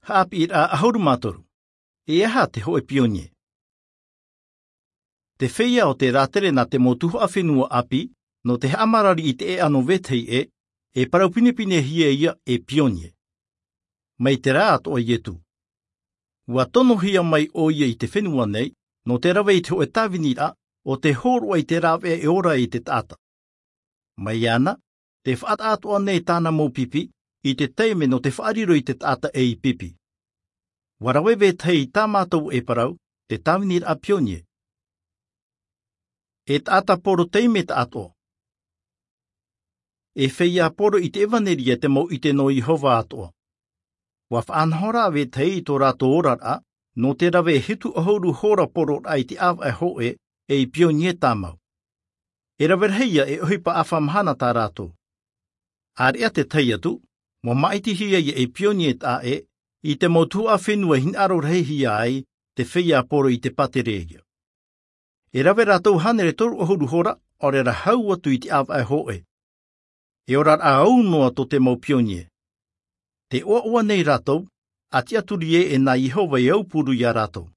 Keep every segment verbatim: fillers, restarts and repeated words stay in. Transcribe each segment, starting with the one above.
Haʻapiʻiraʻa ʻahuru mā toru. E aha te hōʻē pionie? Te feiā o te rātere nā te mau tuhaʻa fenua ʻāpī, nō te haʻamarari i te ʻēʻa nō vetahi ʻē, e parau pinepinehia ia e pionie. Mai te rā atoʻa iesu, ua tonohia mai ʻoia i te fenua nei, nō te rave i te hōʻē tāviniraʻa o te hōroʻa i te rāveʻa e ora i te taʻata. Mai iāna, te faʻataʻatoʻa nei tāna mau pipi i te taime nō te faʻariro i te taʻata ei pipi. Ua rave vetahi i tā mātou e parau te tāviniraʻa pionie. E taʻata poro taime taʻatoʻa. E feiā poro i te ʻevanelia te mau ʻite nō iehova atoʻa. Ua faʻanahoraʻa vetahi i tō rātou oraraʻa nō te rave e hitu ʻahuru hora pororaʻa i te ʻāvaʻe hōʻē ei pionie tāmau. E rave rahi ia e ʻohipa ʻāfa mahana tā rātou. Area te tahi atu, ua māʻitihia ia ei pionie taʻa ʻē i te mau tuhaʻa fenua i hinaʻaro rahihia ai te feiā poro i te pātereia. E rave rātou hānere toru ʻahuru hora ʻaore rā hau atu i te ʻāvaʻe hōʻē. E oraraʻa au noa tō te mau pionie. Te ʻoaʻoa nei rātou a tiʻaturi ē e nā iehova e aupuru iā rātou.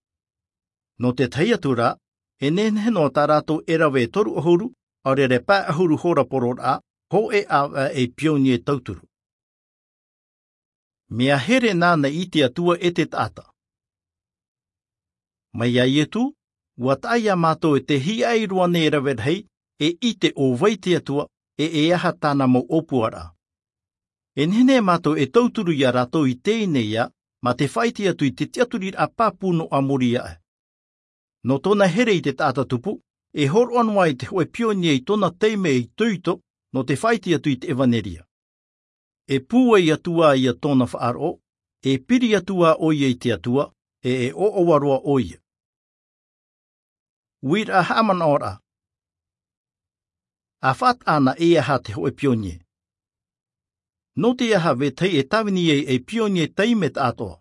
Nō te tahi atu rā, e nehenehe noa tā rātou e rave e toru ʻahuru ʻaore rā pae ʻahuru hora pororaʻa hōʻē ʻāvaʻe ei pionie tauturu. Mea here nāna i te atua e te taʻata. Mai iā iesu, ua taʻa iā mātou e te hiaʻai roa nei rave rahi e ʻite ʻo vai te atua e e aha tāna mau ʻōpuaraʻa. E nehenehe mātou e tauturu iā rātou i teie nei ā mā te faʻaʻite atu i te tiʻaturiraʻa pāpū nō ʻamuri aʻe. Nō tōna here i te taʻata tupu, e hōroʻa noa ai te hōʻē pionie i tōna taime itoito nō te faʻaʻite atu i te ʻevanelia. E pūai atu ā ia tōna faʻaroʻo, e piri atu ā ʻoia i te atua, e e ʻoaʻoa roa ʻoia. Uiraʻa haʻamanaʻoraʻa. A faʻataʻa ana e aha te hōʻē pionie? Nō te aha vetahi e tāvini ai ei pionie taime taʻatoʻa?